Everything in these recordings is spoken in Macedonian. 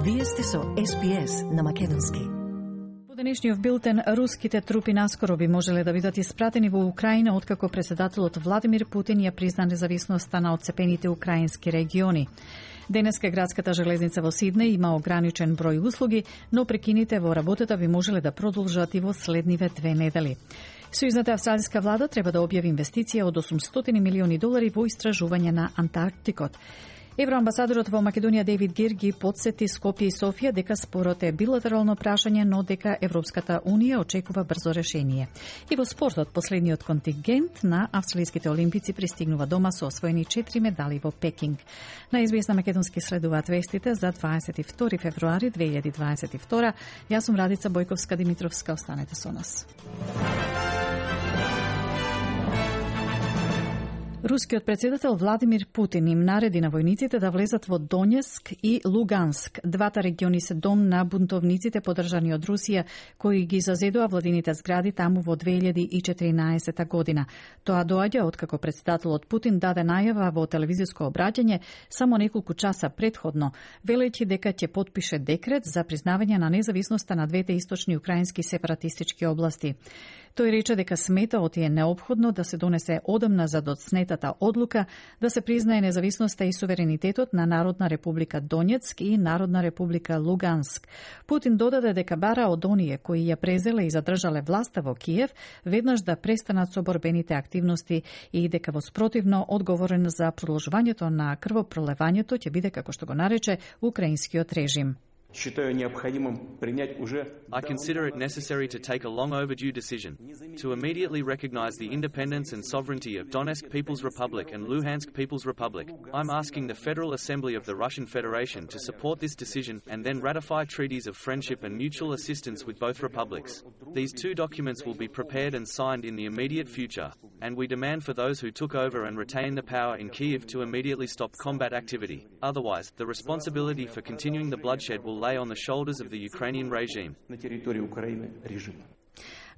Вие сте со SBS на македонски. Во денешниот билтен, руските трупи наскоро би можеле да бидат испратени во Украина откако председателот Владимир Путин ја призна независноста на отцепените украински региони. Денеска градската железница во Сиднеј има ограничен број услуги, но прекините во работата би можеле да продолжат и во следниве 2 недели. Сојузната австралиска влада треба да објави инвестиција од $800 милиони во истражување на Антарктикот. Евроамбасадорот во Македонија Дейвид Гирги подсети Скопје и Софија дека спорот е билатерално прашање, но дека Европската Унија очекува брзо решение. И во спортот, последниот контингент на австралиските олимпици пристигнува дома со освоени 4 медали во Пекинг. На SBS на македонски следуваат вестите за 22 февруари 2022. Јас сум Радица Бојковска-Димитровска, останете со нас. Рускиот председател Владимир Путин им нареди на војниците да влезат во Донецк и Луганск. Двата региони се дом на бунтовниците поддржани од Русија, кои ги зазедоа владините згради таму во 2014 година. Тоа доаѓа откако председателот Путин даде најава во телевизиско обраќање само неколку часа претходно, велејќи дека ќе потпише декрет за признавање на независноста на двете источни украински сепаратистички области. Тој рече дека смета оти е неопходно да се донесе одамна за доцнетата одлука да се признае независноста и суверенитетот на Народна република Донецк и Народна република Луганск. Путин додаде дека бара од оние кои ја презеле и задржале власта во Киев веднаш да престанат со борбените активности и дека во спротивно одговорен за продолжувањето на крвопролевањето ќе биде, како што го нарече, украинскиот режим. I consider it necessary to take a long overdue decision to immediately recognize the independence and sovereignty of Donetsk People's Republic and Luhansk People's Republic. I'm asking the Federal Assembly of the Russian Federation to support this decision and then ratify treaties of friendship and mutual assistance with both republics. These two documents will be prepared and signed in the immediate future, and we demand for those who took over and retain the power in Kyiv to immediately stop combat activity. Otherwise, the responsibility for continuing the bloodshed will lay on the shoulders of the Ukrainian regime.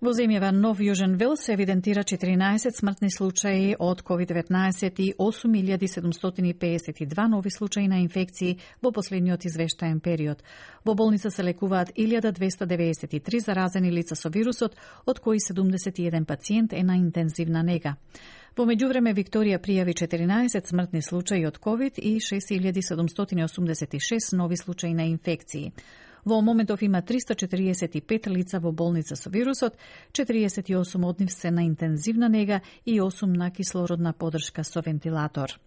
Во земјава Нов Јужен Велс се евидентира 14 смртни случаи од COVID-19 и 8752 нови случаи на инфекции во последниот извештаен период. Во болница се лекуваат 1293 заразени лица со вирусот, од кои 71 пациент е на интензивна нега. Во меѓувреме Викторија пријави 14 смртни случаи од COVID и 6786 нови случаи на инфекции. Во моментов има 345 лица во болница со вирусот, 48 од нив се на интензивна нега и 8 на кислородна поддршка со вентилатор.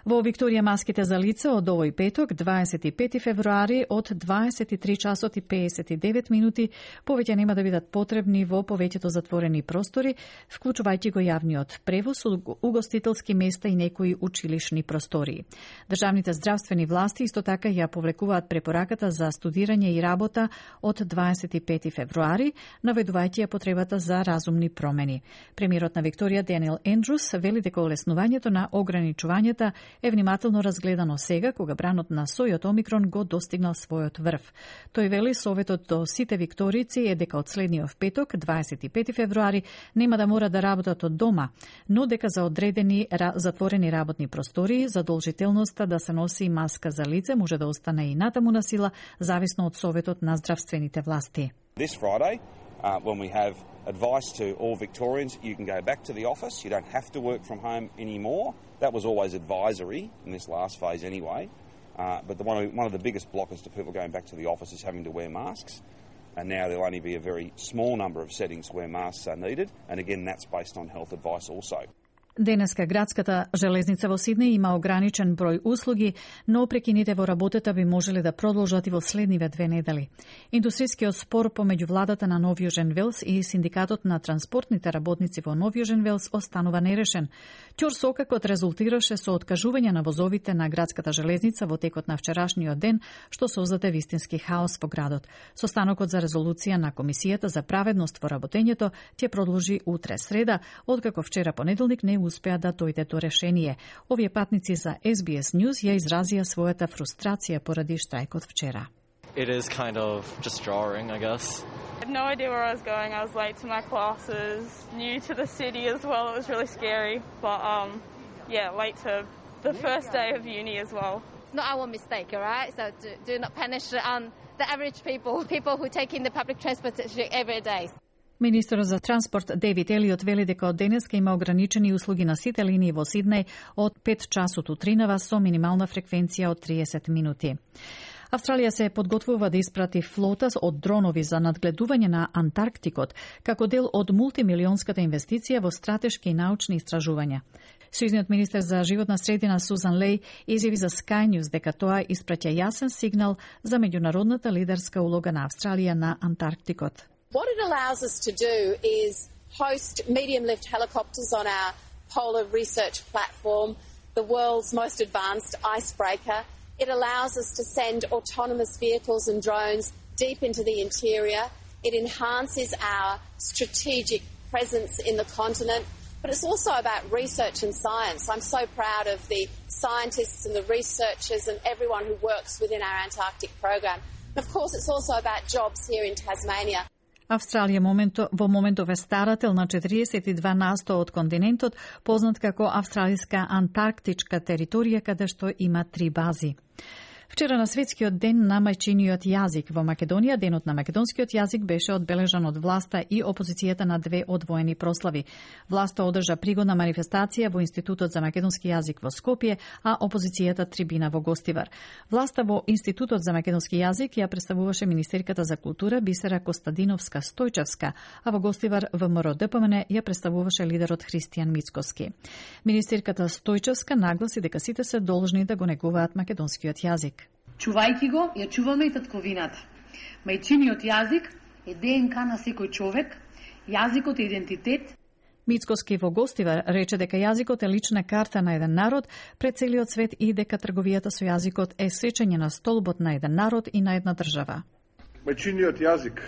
Во Викторија маските за лице од овој петок, 25 февруари, од 23 часот и 59 минути, повеќе нема да бидат потребни во повеќето затворени простори, вклучувајќи го јавниот превоз, угостителски места и некои училишни простории. Државните здравствени власти исто така ја повлекуваат препораката за студирање и работа од 25 февруари, наведувајќи ја потребата за разумни промени. Премиерот на Викторија Даниел Ендрус вели дека олеснувањето на ограничувањата е внимателно разгледано сега, кога бранот на сојот Омикрон го достигнал својот врв. Тој вели советот до сите викторици е дека од следниот петок, 25 февруари, нема да мора да работат од дома, но дека за одредени затворени работни простории задолжителноста да се носи маска за лице може да остане и натаму на сила, зависно од советот на здравствените власти. This Friday, when we have advice to all Victorians, you can go back to the office, you don't have to work from home anymore. That was always advisory in this last phase anyway. But one of the biggest blockers to people going back to the office is having to wear masks. And now there'll only be a very small number of settings where masks are needed. And again, that's based on health advice also. Денеска градската железница во Сиднеј има ограничен број услуги, но прекините во работата би можеле да продолжат и во следниве 2 недели. Индустријскиот спор помеѓу владата на Нов Јужен Велс и синдикатот на транспортните работници во Нов Јужен Велс останува нерешен. Ќорсокакот резултираше со откажување на возовите на градската железница во текот на вчерашниот ден, што создаде вистински хаос во градот. Состанокот за резолуција на Комисијата за праведност во работењето ќе продолжи утре среда, откако вчера понеделник не успеа да дојде до решение. Овие патници за SBS News ја изразија својата фрустрација поради штрајкот вчера. It is kind of just jarring, I guess. I had no idea where I was going. I was late to my classes, new to the city as well. It was really scary, but late to the first day of uni as well. It's not our mistake, all right? So do not punish the average people who take in the public transportation every day. Министерот за транспорт Дейвид Елиот вели дека од денеска има ограничени услуги на сите линии во Сиднеј од 5 часот утринава со минимална фреквенција од 30 минути. Австралија се подготвува да испрати флота од дронови за надгледување на Антарктикот како дел од мултимилионската инвестиција во стратешки и научни истражувања. Сојузниот министер за животна средина Сузан Леј изјави за Sky News дека тоа испраќа јасен сигнал за меѓународната лидерска улога на Австралија на Антарктикот. What it allows us to do is host medium-lift helicopters on our polar research platform, the world's most advanced icebreaker. It allows us to send autonomous vehicles and drones deep into the interior. It enhances our strategic presence in the continent. But it's also about research and science. I'm so proud of the scientists and the researchers and everyone who works within our Antarctic program. And of course, it's also about jobs here in Tasmania. Австралија во моментов е старател на 42% од континентот, познат како Австралиска антарктичка територија, каде што има 3 бази. Вчера на Светскиот ден на мајчиниот јазик во Македонија, денот на македонскиот јазик беше одбележан од власта и опозицијата на 2 одвоени прослави. Власта одржа пригодна манифестација во Институтот за македонски јазик во Скопје, а опозицијата трибина во Гостивар. Власта во Институтот за македонски јазик ја представуваше министерката за култура Бисера Костадиновска-Стојчевска, а во Гостивар ВМРО ДПМН ја представуваше лидерот Христијан Мицкоски. Министерката Стојчевска нагласи дека сите се должни да го негуваат македонскиот јазик. Чувајќи го, ја чуваме и татковината. Мајчиниот јазик е ДНК на секој човек, јазикот е идентитет. Мицкоски во Гостивар рече дека јазикот е лична карта на еден народ пред целиот свет и дека трговијата со јазикот е сечење на столбот на еден народ и на една држава. Мајчиниот јазик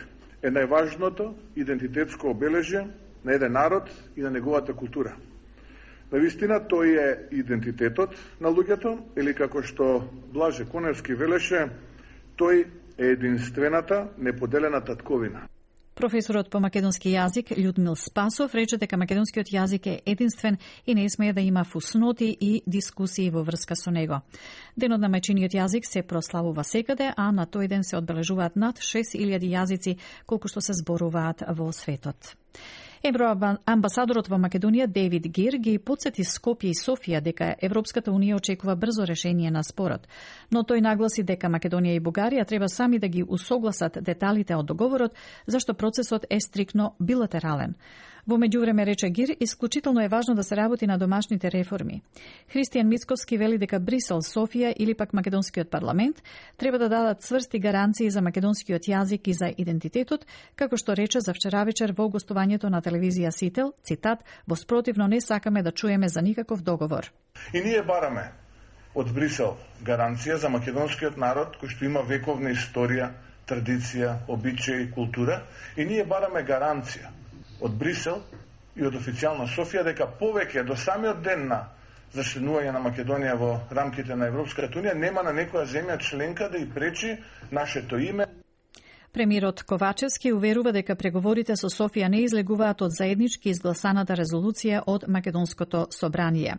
е најважното идентитетско обележје на еден народ и на неговата култура. Навистина, тој е идентитетот на луѓето, или како што Блаже Коневски велеше, тој е единствената, неподелена татковина. Професорот по македонски јазик Људмил Спасов рече дека македонскиот јазик е единствен и не смее да има фусноти и дискусии во врска со него. Денот на мајчиниот јазик се прославува секаде, а на тој ден се одбележуваат над 6000 јазици колку што се зборуваат во светот. Евроамбасадорот во Македонија Дейвид Гир ги потсети Скопје и Софија дека Европската унија очекува брзо решение на спорот, но тој нагласи дека Македонија и Бугарија треба сами да ги усогласат деталите од договорот, зашто процесот е стрикно билатерален. Во меѓувреме, рече Гир, исклучително е важно да се работи на домашните реформи. Христијан Мицковски вели дека Брисел, Софија или пак македонскиот парламент треба да дадат цврсти гаранции за македонскиот јазик и за идентитетот, како што рече за вчера вечер во гостувањето на телевизија Сител, цитат, во спротивно не сакаме да чуеме за никаков договор. И ние бараме од Брисел гаранција за македонскиот народ кој што има вековна историја, традиција, обичаи, култура, и ние бараме гаранција од Брисел и од официјална Софија дека повеќе до самиот ден на зачленување на Македонија во рамките на Европската унија нема на некоја земја членка да и пречи нашето име. Премиерот Ковачевски уверува дека преговорите со Софија не излегуваат од заеднички изгласаната резолуција од Македонското собрание.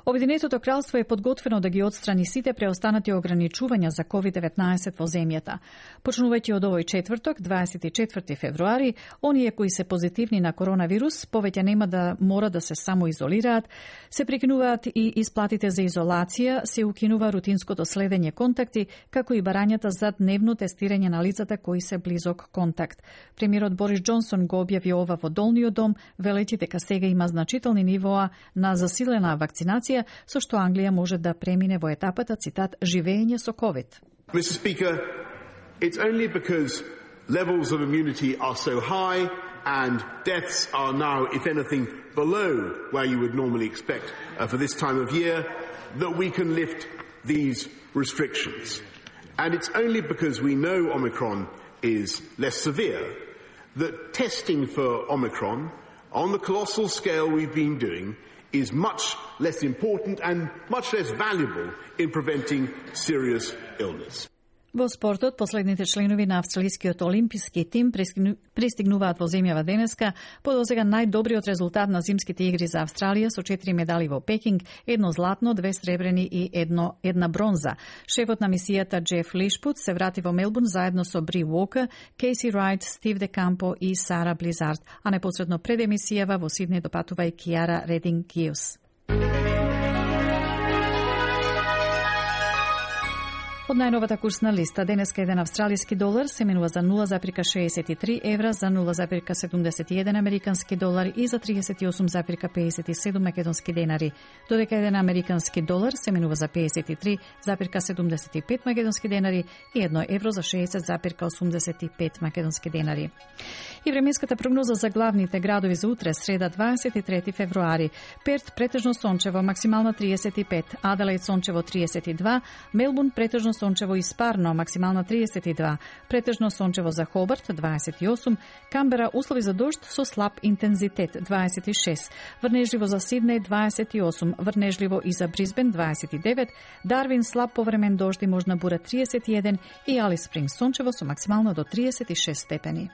Обединетото кралство е подготвено да ги отстрани сите преостанати ограничувања за COVID-19 во земјата. Почнувајќи од овој четврток, 24 февруари, оние кои се позитивни на коронавирус повеќе нема да мора да се самоизолираат, се прекинуваат и исплатите за изолација, се укинува рутинското следење контакти, како и барањата за дневно тестирање на лицата кои се близок контакт. Премиерот Борис Џонсон го објави ова во Долниот дом, велејќи дека сега има значителни нивоа на засилена вакцинација, со што Англија може да премине во етапата, цитат, живење со COVID. Mr. Speaker, it's only because levels of immunity are so high and deaths are now, if anything, below where you would normally expect for this time of year, that we can lift these restrictions. And it's only because we know Omicron is less severe that testing for Omicron on the colossal scale we've been doing is much less important and much less valuable in preventing serious illness. Во спортот, последните членови на австралискиот олимписки тим пристигнуваат во земјава денеска по досега најдобриот резултат на зимските игри за Австралија со 4 медали во Пекинг, 1 златно, 2 сребрени и една бронза. Шефот на мисијата Джеф Лишпут се врати во Мелбурн заедно со Бри Уокер, Кейси Райт, Стив Де Кампо и Сара Близард, а непосредно пред емисијава во Сиднеј допатува и Киара Рединг Гиус. Од најновата курсна листа, денеска еден австралиски долар се менува за 0,63 евра, за 0,71 американски долар и за 38,57 македонски денари, додека еден американски долар се менува за 53,75 македонски денари и 1 евро за 60,85 македонски денари. И временската прогноза за главните градови за утре, среда 23 февруари. Перт претежно сончево, максимална 35, Аделаид сончево 32, Мелбурн претежно сончево и спарно, максимална 32, претежно сончево за Хобарт 28, Камбера услови за дожд со слаб интензитет 26, врнежливо за Сиднеј 28, врнежливо и за Брисбен 29, Дарвин слаб повремен дожд и можна бура 31 и Алис Спрингс сончево со максимално до 36 степени.